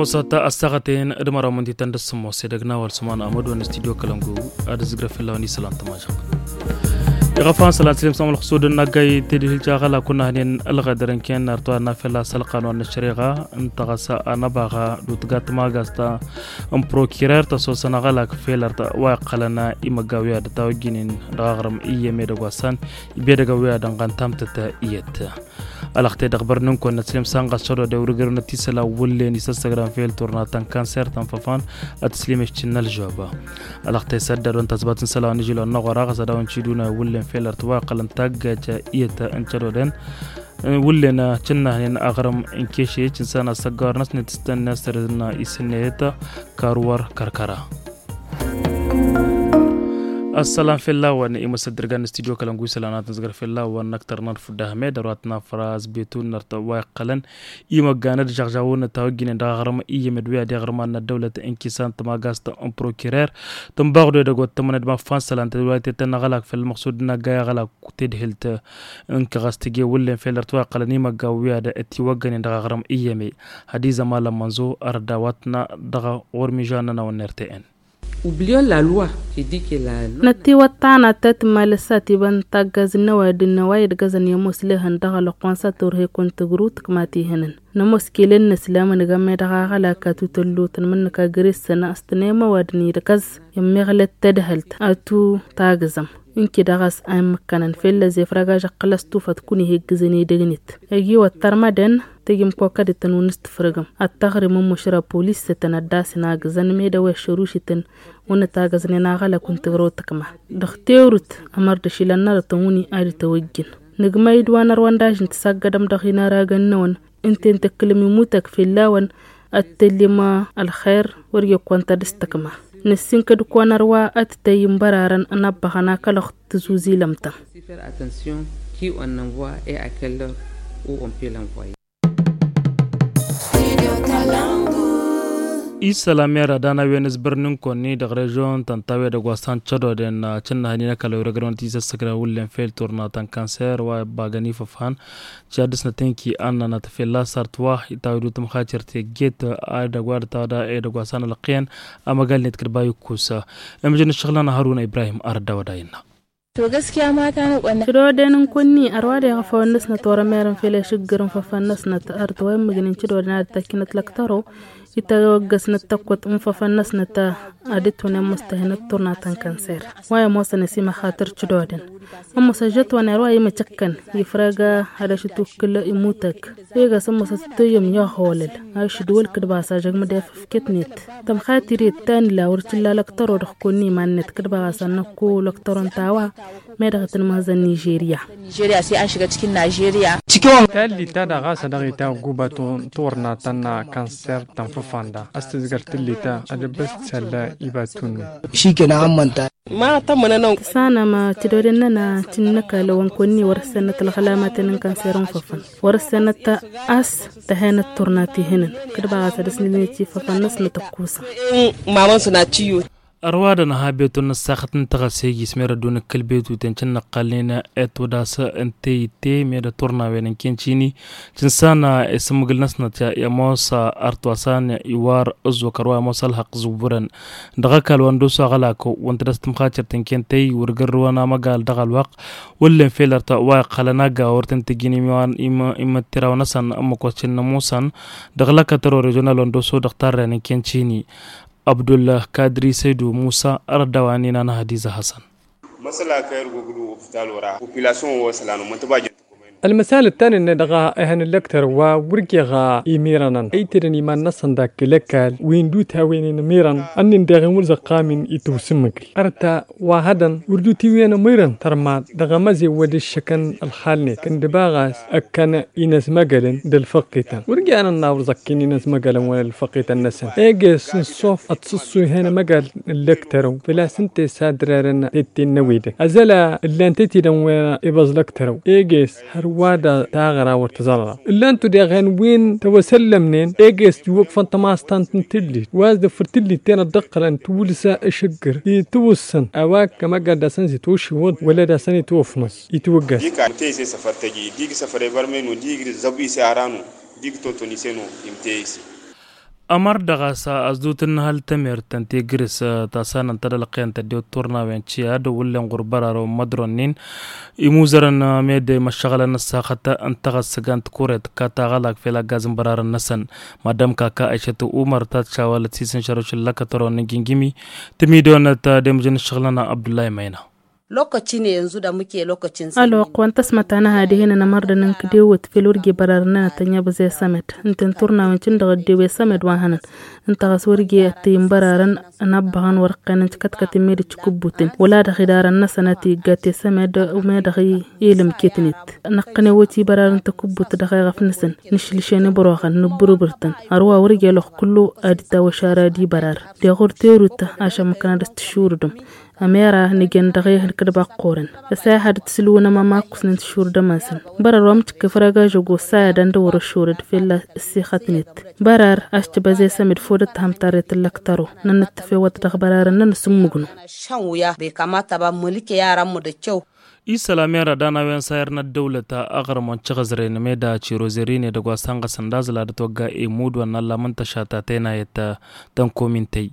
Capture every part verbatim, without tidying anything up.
Osa ta ăssaɣăten d-măraw mǝntităn d-ăssǝmmos edăgg n-a-wa ălsǝman amădon n-studyo kălăngu. Ad-ǝzzǝgrăf fell-a-wen isălan tămažăɣt. Iɣăfan sălan sǝlem s-amălxǝsud n-aggay tedhilt a ɣălak wǝnnăhnen ălɣădăr n-ken n-artwa n-afel a-s ălqanun n-ăššăreɣa n-taɣăsa anăbaɣa d-utgat magast n-prokirer tăsosăn aɣălak felărt wa iqqălăn imăgga wi ad-tawăjjinen dăɣ-aɣrǝm iyyăm edăgg wa s-an ibedăgg a wi ad-ănɣan tamtăt iyyăt. Alăɣte dăɣ-bărnǝnkon n-ăslem sanɣas cădodăy wăr-ǝgrǝwnăt isălan wǝllen isăssăgrăn fel turna ta n-kanser ta n-făfan. Ad-tǝslǝm eštin n-ălžoba alăɣte s-ăddadon tazbat n-isălan ijilon n-aɣora ɣas ad-awăn ciduna wǝllen fel ărtwa iqqălăn taggajt iyyăt n-cădodăn wǝllen cǝnnăhnen aɣrǝm n-kešet n-săn asăggawăr-năsnet s-tăn-năsrǝn isǝnneyăt. Karwăr kăr-kăra. Ăssălan fell-a-wăn imăsăddărgan n-studyo kălăngu isălan ad-tǝnzăgăr fell-a-wăn n-ăktăr n-ad-fudda hămed ărwat n-afras betu n-ărtăwa iqqălăn imăggan ad-žăɣžawun n-tawăjjinen dăɣ-aɣrǝm iyyăm d-wi ad-iɣrǝman n-ăddăwlăt n-kisan tămagast n-prokirer tǝnbaɣdu edăgg wa t-tămănăd ma ăffan isălan tădwayt i-tăn aɣălak făll-măqsud n-aggay aɣălak tedhǝlt n-kăɣas tǝje wǝllen fel ărtwa iqqălăn imăggan wi ad-tiwăggănen dăɣ-aɣrǝm iyyăm. Hădizăm alămmănzo ărdawătna dăɣ-ɣur-mižan n-anăwăn n-rtn. Năttiwăt tanat ta tǝmmalăssat iba n-taggaz n-ăwadǝm n-ăwayǝd găzăn i-ămoos lehăn dăɣ-alăqqu wa n-sat turhe kunta gru tǝkmat ihǝnăn. Nămoos kelen n-ăslam n-gămme dăɣ-aɣălak atu tăllutăn mǝnnǝka găr-s sănna s-tănem ăwadǝm idkăz i-ămmiɣlăt tadhălt atu tagzăm. Ǝnki dăɣ-s a immǝkkănăn fellăz efrăgaj ăqqăl ăstufăt kăwăn-iheggǝzăn edăgnet ăgiwăt tărmădăn. Tăjǝm kokădităn wăn s-tǝfrǝgăm ad-tăɣrǝm ămmušra polis s-tăn-ăddasăn agǝzăn med ăweššăr ušǝtăn wăn-ătagăznen aɣălăk wăn-tǝgrăw tǝkma dăɣ-tewrǝt. Ămărdăš ilăn nărătăn wăn-i ad-tăwăjjǝn nǝgmăy-dd wa n-ărwăndaj n-tǝsaggădăm dăɣ-inăragan-năwăn. Ǝnta i-n-tăkkǝlăm imutăk fell-a-wăn ad-tăllim ălxer wăr-i ăkk wa n-tadǝstăkma. Năssinkăd-kăwăn ărwa ad-tăyy n-bărarăn ănabbăɣăn akălăɣ tǝzuzilăm-tăn. Isălan mera d-anăwen s-bărninkonni dăɣ-režion tăntawe dăgg wa s-han cădoden cǝnnăhăn inăkălăw irăgrăwăn tisăssăgrăn wullen fel turna ta n-kanser wa ibbagăn ifăfhan. Cad-dăɣ s-nătănki annănăt fella sărt wa itawed utǝmxacăr tegget a dăgg wa dăɣ-tawăda edăgg wa s-anălăqqiyăn. Amăgal-net kăd-ba ikkus. Imǝjăn ǝššăɣǝl-nănăɣ haruna ibrahim arăt dawăda innă. Cădoden n-kunni ărwa d-eɣăfăwăn-năsnăt wăr-ămerăn fel ešǝggǝr n-făfăn-năsnăt ărtăwăyăn mǝjnen cădoden ad-dd-tăkkinăt lăktăro. Itawăggăsnăt tăkkut n-făfăn-năsnăt ad-dd-tunen mustăhenăt turna ta n-kanser. Wa i-ămoosăn ăsimăxatăr cădoden ămoos ăžžăt wa n-erwa i-măcăkkăn ifrăg ad-ašǝtukkǝl imutăg. Egas ămoos ad-tăyyăm i-aɣolăl ašǝdwăl kǝdbaɣ s-ažăgmǝd efăfket-net. Tămxatiret ta n-illa wăr t-illa lăktăro dăɣ-kăwăn n-iman-net kǝdbaɣ s-ad-năkku lăktăro n-tawa. Meddăɣ tăn-măhăzăn nižerya. Nižerya s-i anšǝgăt kǝnna žerya. Tallit ta daɣ a-s dăɣ-ita guba turna ta n-kanser ta n-făfanda a-s tǝzgăr tǝllit a dăbbăs tǝsalla ibatun. Šikena ammănta. Tǝsanăm cădoden-nănăɣ tǝnnăkălăwăn kăwăn-ni wăr-ăssennăt ălɣălamatăn n-kanser n-făfăn wăr-ăssennăt a-s tăhenăt turna tihǝnăn. Kădbaɣ a-s ad-ăsnǝlnet i-făfăn-năsnăt ăkkusăn. Ărwadăn a ha betun n-ăssaxăt n-taɣăse ijis merăddu n-ǝkkǝl betuten cǝnnăqqălnen etwădas n-teyǝtte medăt turnawen n-kencini. Cǝnsan isǝmmǝgǝl-năsnăt i-ămoos ărtwasan iwar ǝzzok ărwa ămoos ălhăqq zǝwwǝrăn dăɣ-ăkall wa n-dosu aɣălak wăn tădăs tǝmxacărt n-kentăy wăr gărrǝwăn amăgal dăɣ-ălwăqq. Wăllen fel ărtwa wa iqqălăn agga wăr tăn-tǝjjǝn imǝttiraw-năsăn ǝmmǝk wa s-cǝnnămusăn dăɣ-lăkătăro režional wa n-dosu dăɣ-tarren n-kencini. Abdulkadri săydu musa ărăt daw-annin anăhădiza hasăn. Măsăla kăy-ărgoglu opital wăr-a popilasyon wa isălan umăntăba jăn. Ălmăsal ǝttan-net dăɣ-ehăn ǝllăktăr wa wăr-jeɣ imirănăn ăytedăn iman-năsăn dak ǝlăkkal wi n-dut hawăn-in ǝmirăn. Ănnin deɣ-in wăr zăqqam-in itwǝsǝmmǝgǝl ărta wa hădăn wăr dut iwǝyăn ǝmirăn tărmad dăɣ-emăzewăl ǝššăkăn ălxal-net kăndǝba ɣas ăkkăn inăzmăgălăn d-ălfăqqităn wăr jan ănna wăr zăkk-in inăzmăgălăn wăla ălfăqqităn-năsăn eges n-sof ătsǝssu ihăn ămăgal n-lăktărăw făl-a-s ǝnta i-sadrărăn tetten n-ăwedăn ăzăla ǝllan tetidăn wa ibăẓ lăktărăw eges hărwa d-taɣra wăr tǝẓărra ǝllan-tu deɣ hen wi n-tăwăsăllămnen eges iwwăqfăn tămastant n-tǝllit wa s-dd-ăffăr tǝllit-ten ăddăqqălăn tǝwǝlsa ǝšǝggǝr itǝwǝssăn a-wa ămăgal d-asăn zi tošiwăḍ wăla d-asăn itwăfnăẓ itwǝggăs. Dik-a mǝteyise săfăr tăji dik săfăr ebărmenu dik zăbu ise aranu dik toton ise-nu imteyise. Ămăr dăɣ-a-s a-s dutǝnnăhăl tămertăn tegris ta s-anăn tădălqen tăddew turnawen ciya d-wullen ɣur-bărarăwăn mădronnin imuzărăn. Med imăššăɣǝlăn n-ăssaxăt n-taɣăssăga n-tikuret kataɣălak fel aggazăn bărarăn-năsăn. Madam kaka ašăt umăr ta t-šawalăt sisǝnšăroš n-lăkătărăwăn n-gingimi tǝmidonăt d-emǝžăn n-ašăɣǝlăn abdullahi mayna. Lokaci ne yanzu da muke lokacin sanyi. Ălwăqq wa n-tăsmăt anăha dihen ănămărdăn n-kădewăt fel wăr ge bărarăn n-anătănna băzăy asămăd ǝnta n-turnawen cǝndăɣ ăddew i-asămăd wa hănăn. Ǝnta ɣas wăr ge ăttăyǝn bărarăn ănabbăɣăn wăr-ăqqenăn tikătkătăn meddǝt tikǝbbutăn wăla dăɣ-idarăn-năsăn a tǝyyǝggat i-asămăd. U meddăɣ i-elǝmket-net năqqănewăt i-bărarăn takǝbbut dăɣ-eɣăf-năsăn nǝšlǝšen ibăroɣăn nǝbbărbăr-tăn. Ărwa wăr ge ălwăqq kullu ad-dd-tawăš ara d-ibărar deɣ wăr terut ašămmăkăn ad-dăɣ-s tǝššurǝdăm. Ămera nǝjăn dăɣ-ehăn kădba ăqqurăn ăsayăhăd d-sǝlwǝnăm ămakkǝsnen tǝššurdăm-asăn. Bărăr wa mǝcǝkkǝf răgažăgo ăsayăd ăndăwăr ăššurăd fell-a ăssixătnet. Bărăr a-s tibăzăy s-emǝd fodăt tǝhăm tarret n-lăktăro nănăttăf ewăt dăɣ-bărarăn nănăsǝmmǝgnu. Šăn wǝya băy kamata ba mălǝke i-arammu d-ăccăw. Isălam i-ara danawen sayăr n-ăddăwlăt aɣrǝm wa n-tiɣǝzre n-meda cirozerin edăgg wa s-ănɣăsăn d-aẓla d-ătwăgga emud wa n-allam n-tăšat ta tenayăt tănkomintăy.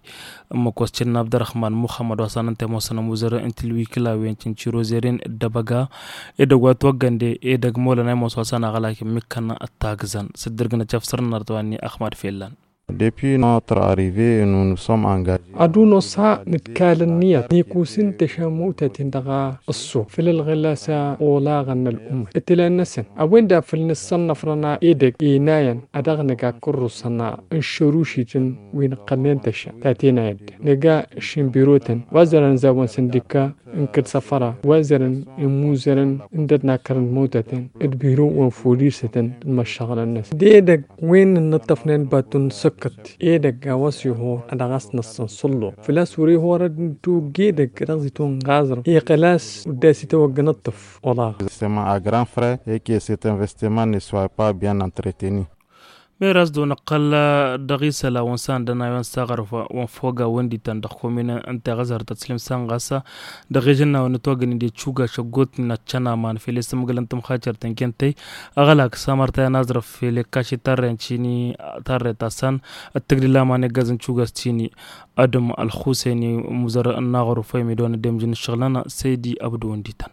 Ǝmmǝk wa s-cǝnna abdărăhman muxămmăd wa s-anăn tămoosăn ămuzărăn n-tilwikǝlawen cǝnciro zerin d-abăga edăgg wa t-wăggănde edăgg molănay mos wa s-ănaɣălak ǝmmǝkkăn ăttagǝzăn s-dd-ǝrgǝnăt căfsărăn arăt wa n-ni ăxmad fellăn. Depuis notre arrivée nous nous sommes engagés. Ad-unosa nǝdkal ǝnniyăt n-ikusǝn tăšamăwtaten dăɣ-ăṣṣo făll-ălɣǝlasa olaɣăn n-ăl'ummăt ǝtlan-năsăn a-wen-dăɣ făl nǝssănnăfrăn edăgg enayăn a dăɣ-nǝga kărrusăn n-šărušităn wi n-ǝqqălnen tăša ta tenayăt. Nǝga šinbirotăn wa zărăn zawăn săndika n-kăd-săfăra wa zărăn imuzărăn n-dăd-nakărăn măwtatăn d-biro wa n-folisătăn d-măššăɣǝlăn-năsăn d-edăgg wen n-inǝṭṭăfnen batu n-săkkăt edăgg a-wa s-ihor a dăɣ-a-s năssăn sălluɣ făl-a-s wăr-ihor ad-nǝtwǝgg edăgg a dăɣ-s itwănɣaẓrăw iqqăl-as wădda a-s itawăggăn ǝṭṭǝf. Olaɣ. C'est ma à grand frère et que cet investissement ne soit pas bien entretenu. Meras d-onăqqăl dăɣ-isălan wa n-sandănawen s-aɣrǝf wa n-foga wăndităn dăɣ-kominăn n-teɣăzărtăt slim s-anɣas dăɣ-ežănnawen n-ătwăgăn-dd i-cuga šăggot n-ad-cănaman fel i-sǝmgǝlăn tǝmxacăr tǝnkentăy. Aɣălak s-amărtay ănaẓrăf fel i-kaši tarren cini tarret asăn d-tǝgdǝl aman i-ăggazăn cuga s-cini. Adǝm ălxusăyni muzăr n-aɣrǝf wa imidon ăddemjǝn ǝššăɣǝlăn săydi abdu wăndităn.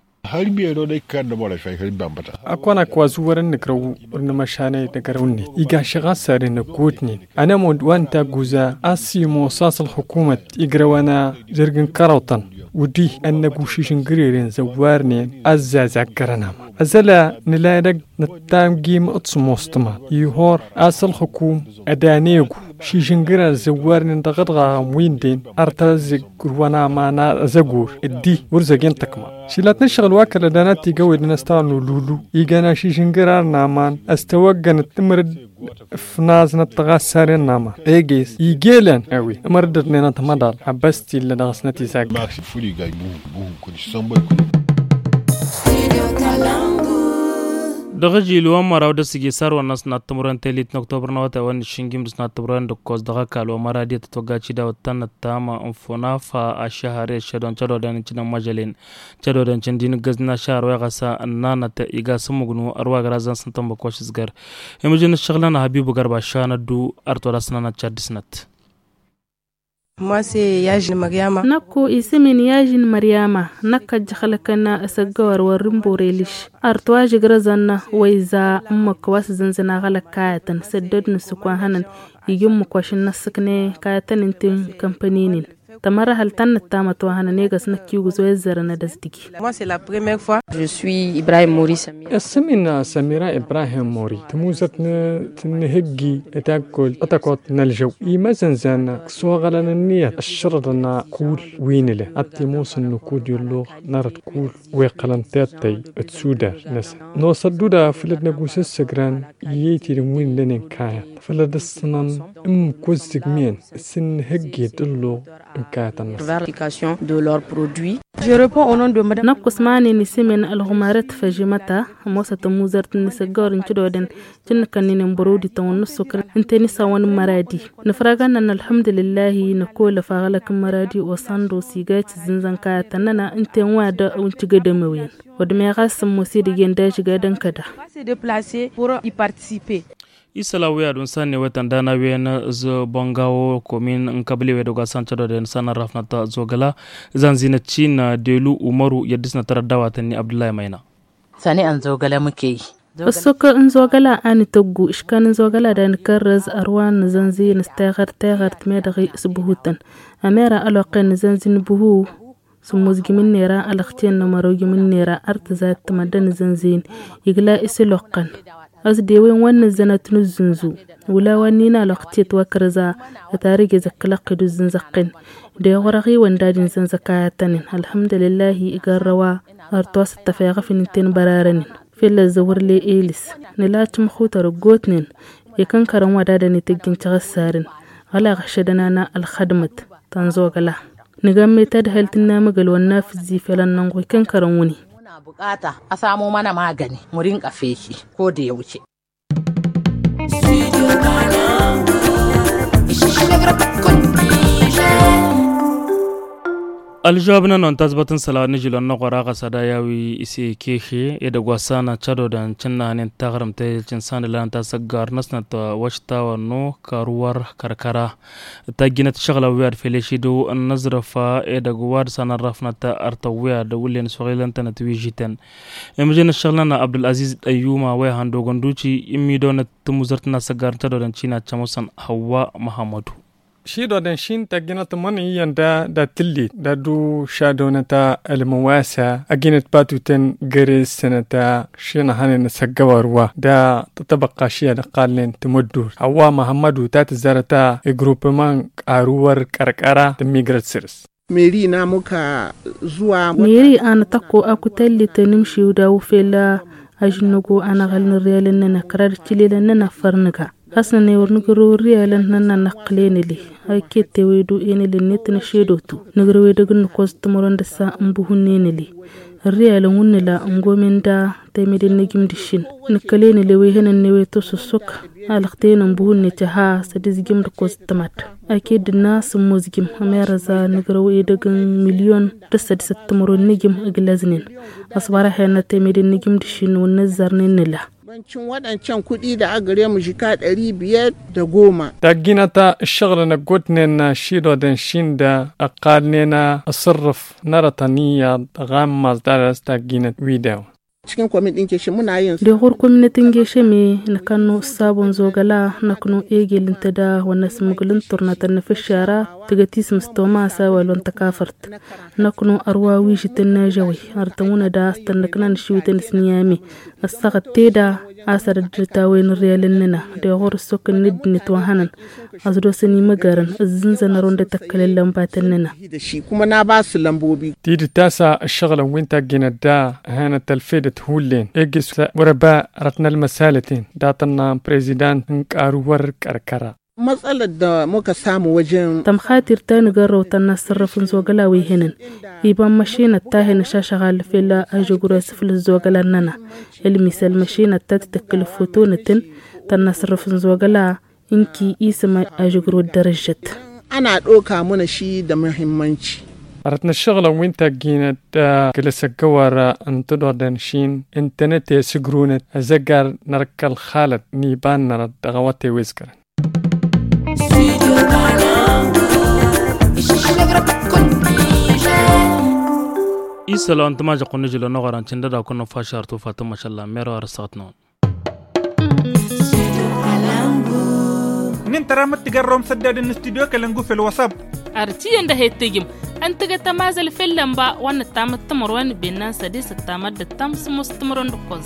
Ăkk wa n-ak wa zǝwwărăn nǝgrăw wăr nǝmăšanăy d-agărăw-net iga šăɣ a-s sarăn ăggootnen ănămud wa n-tagguza a-s imoos a-s ălxukumăt igrăwăn a zărg n-kărăwtăn wăddi ănnăgu šižǝngăreren zăwwarnen a ăzzazăggărăn aman ăzăla nǝla edăgg nǝttamgim d-sǝmostăma ihor a-s ălxukum ădanegu šižǝngărar zăwwarnen dăɣ-ăḍɣaɣăm wi ǝnden ărtăzăg ǝrwăn aman azăgor ǝddi wăr zăgen tăkma. Šilăt n-ǝššăɣǝl wa kăl-ădana tigăwedăn ăstawăn ululu igan ašižǝngărar n-aman ăstăwăggăn ǝmrǝd ǝfnaẓnăt tăɣassaren n-aman eges igelăn a-wen ǝmrǝd ădnen ătmăḍal ăbbăs t-illa dăɣ-s n-ătizagga. Dăɣ-ažil wa n-măraw d-ăsǝjjǝy sarwăn-năsnăt timǝrwen telit n-oktobăr n-awătay wa n-išǝnjim d-asnăt timǝrwen d-ǝkkoẓ dăɣ-ăkall wa n-măradi a tătwăgga cidawăt tannăt tamă n-funafa ašăhăre šădon cădodăn n-cǝnăn măžălen cădodăn cǝndin ǝggăz n-ašăhăr wa iɣăsa ǝnnanăt iga s-ǝmmǝgnu ărwa grazăn s-ǝntănbăk wa šǝzgăr. Imǝjǝn ǝššăɣǝl-nănăɣ ăbibugăr bašan ăddu ărtwăr-asnănăt caddǝsnăt. Năkku isǝm-in yažin măryama năkk ăjjăxlăkăn asăggăwăr wăr-rimboreliš. Ărtwa žǝgrăzăn wa iza ǝmmǝk wa s-zǝnzǝn aɣălăk kayătăn săddăd n-ǝssǝk wa n-hănăn iji ǝmmǝk wa šǝnnăssǝkne kayătăn ǝnta n-kămpăninen. Tămărăhăl tannăt tamăt wa hănăn egăs năkk igǝz wa izzărăn ad-ăzdǝgi. Isǝm-in samira ibrahim mori tămuzăt n-tǝnnǝhǝggi ătakkol ătăkoḍ n-ălžăw imăzănzan s-oɣălăn ǝnniyăt ăššărăḍăn kull wi nǝla ad-t-imoosăn nukud i-ălluɣ n-arăt kull wi ǝqqălăn tiṭṭăy d-sudar-năsăn. Nosăt duda făll-ad-năgusǝssăgran iyyăy tidǝm wi n-lănen kayăt făll-ad-ǝssǝnăn ǝmmǝk wa ǝzzǝgmiyăn s-ǝnnǝhǝgge d-ălluɣ n-kayăt-năsăn. Năkk usmanen isǝmen ălɣumarăt făžimăta ămoosăt ămuzărt n-isăggawăr n-cǝdodăn cǝnnǝkăn-nin n-bărodi tăwăn n-ǝssukăr ǝnta i-nisawăn n-măradi. Nǝfragăn-nănn ălḥămdulǝllahi năkolăf aɣlăk n-măradi osăndos iga i-tǝzzǝnzăn kayătăn-nănăɣ ǝnta i-n-wa dăɣ-wi n-cǝgădăm ewǝyăn. Wăr dămeɣ a-s ămoos edăgg-en d-ažgadăn kăda. Isăla wi ad-unsan n-ewătăn dana wen. Zăbăngawo komin n-kăbli wi dăgg-wa s-an cădodăn s-an ărrafnăt zogăla. Zănzinăt cin delu umăru i-ad-dăsnăt răddawatăn-ni abdullah i-măyna. Săne ănzogălăm kăy. Ăssok ănzogăla a n-ităggu iškan ănzogăla da n-kărrăz ărwan n-zănzin s-teɣărt teɣărt medăɣ i-s buhutăn. Ămera ăloqqen n-zănzin buhu. Sǝmmuzgim n-nera ălăɣcen n-amărogim n-nera ărtǝzat tămădda n-zănzin. Igla isǝloqqăn. Ăsdewen wa n-nǝzzănăt n-ǝzzǝnzu. Wǝla wa n-ina ălăɣcet wa kărăza. Ătarǝgez ǝkkǝlăqqed uzzǝnzăqqen. Deɣ wăr-ăɣiwăn dad-inzănzăk a ătănen ălhămdălǝllahi. Igărrăwa ărtos ăttăfeɣăf n-inten bărarănen. Fell-ăzzăwărle elǝs. Nǝla cǝmxutăr ăggootnen. Ikănkărăn wa dadăn itǝjjǝn căɣăssarăn. Ɣăla ɣăššădăn ana ălxădmăt tănzogăla. Nǝgammăy tadhălt n-inamăgăl wa n-inafǝzzi fel ănnănɣu ikănkărăn wǝnni. Muna buqata a samu mana magani murinqa feki. Ko da yawce. Ălžăwab-nănăwăn tazbăt n-isălan n-ažǝl wa n-inăɣora ɣas ad-aya wi s-ikehe edăgg wa s-an cădodăn cǝnnăhnen taɣrǝmt ta i-cǝnsan d-lanăt asăggar-năsnăt wa š-tawănnu kăruwăr kăr-kăra. Tajjinăt ǝššăɣǝlăn wi ad-fel ešidu n-aẓrǝf edăgg wa d-san ărrafnăt ărtăw wi ad-wǝllen s-oɣilăn-tănăt wi žităn. Imǝjăn ǝššăɣǝl-nănăɣ abdul-aziz d-ăyyuma wa ihăn d-ogăn duci. Immidonăt timuzărt n-asăggar n-tădodăn cina cămusăn hăwwa măhămmădu. Ši dodăn šin tajjinăt mănăy iyyăn da dat-tǝllit da d-ušadonăt ălmăwasa ăjinăt patutăn gărez sănăt. Šin ăhănen asăggăwăr wa da tătăbăqqa ši ad-ăqqalnen tămăddurt hăwwa măhămmădu ta tǝzzarăt. Igrupăman aruwăr kăr-kăra tǝmmigrăt săr-s. Meri n-amuk a zuwa. Meri a nǝtăkko akutălli tănǝmšiw daw-fel. Ažǝnnăgo anăɣăl n-ărriyalăn-nănăɣ kăra d-ǝccǝlelăn-nănăɣ a făr nǝga. Hasnăn ewăr nǝgrăw ărriyalăn-nănăɣ năqqǝl enăle. Aket tewedu enăle-net n-ašedotu nǝgrăw edăgg n-nǝkkoẓ d-timăron dăr-sa n-buhu-nen enăle. Ărriyalăn wǝnnǝla n-gomen da temeden n-egim d-ǝššin. Nǝkkăl enăle wa ihănăn n-ewe tosăssok. Alăɣteyăn n-buhu-net iha s-ad-izjǝm d-ǝkkoẓ d-tămad. Aked d-ǝnna s-ǝmmozjǝm ămerăẓ a nǝgrăw edăgg n-milyon d-ăssăd s-ăttămăro n-ijǝm ǝglăznen. Ăṣbărahen ătemede n-ijǝm d-ǝššin wăr nǝzzărnen nǝla. Băncǝn wădăn căn kuɗi da ăgrem žika ɗări biyăd d-ăgoma. Tajjinăt ǝššăɣǝlăn ăggootnen šiḍodăn šin da ăqqalnen asǝrrǝf n-arătăn iyyăḍ ăɣammaẓ d-ad-dăr-s tajjinăt wi dewăn. Deɣ ɣur-kominăt n-gešem-i nǝkănnu ǝssabon zogăla. Năknu egel ǝnta da wănnăs mǝgǝl n-turna tănnăfăššara tǝgăt-isǝm s-tomas a-wa ălwăn tăkafărt. Năknu ărwa wi žǝtăn n-ažăwăy ărtăn wǝnăda a-s tănnăkna n-ašiwǝtăn s-niyame. Ăssaɣăt teda a-s ad-ăddăt a-wen ărriyalăn-nănăɣ. Deɣ ɣur-ăssok n-ăddinăt wa hănăn ăẓdosăn imăgărăn ǝzzǝnzăn ărwăn d-tăkkălăn lănbatăn-nănăɣ. Tidǝt a-s ǝššăɣǝlăn wi n-tajjinăt da ǝhănăt ălfedăt hullen egg-s wăr-ăba rătnăl măsalăten datăn n-prezidant n-kăruwăr kăr-kăra. Măsălăt d-mokăsamu wăjăn. Tămxatir ta nǝgărrăw tănnasărrăf n-zogăla wi hănăn iba n-măšinăt ta hen ăšašăɣal fell-ažăgru i-asǝflǝs zogăla-nănăɣ. Ălmisăl măšinăt ta tǝtǝkkǝl ăffotonătăn tănnasărrăf n-zogăla. Ǝnki isǝm ažăgru ăddărăžžăt. Ăna ɗoka mănăši d-amăhimmănci. Rătnăššăɣǝlăn wi n-tajjinăt kăl-asăggăwăr n-tǝdodăn šin ǝntănăt i-asǝgrunăt azăggar n-ărkăl xalăt n-iba n-nărăt dăɣ-awătay wi ǝzgărăn. Isălan tǝmajăɣ-kăwăn n-ažăl wa n-oɣăran cǝndăd-akăwăn n-ăffašar tufa tǝmmăšăllan merwa răssaɣăt-năwăn. N-intăra mǝttǝgărrăwăm sădded n-studyo kălăngu făll-wăsăb. Ar tiyyăn d-ahet tejǝm ăntăgăt amazăl făll-lănba wa n-ăttamăt timărwen bennan sădis ăttamăt d-ăttam sǝmmos timărwen d-ǝkkoẓ.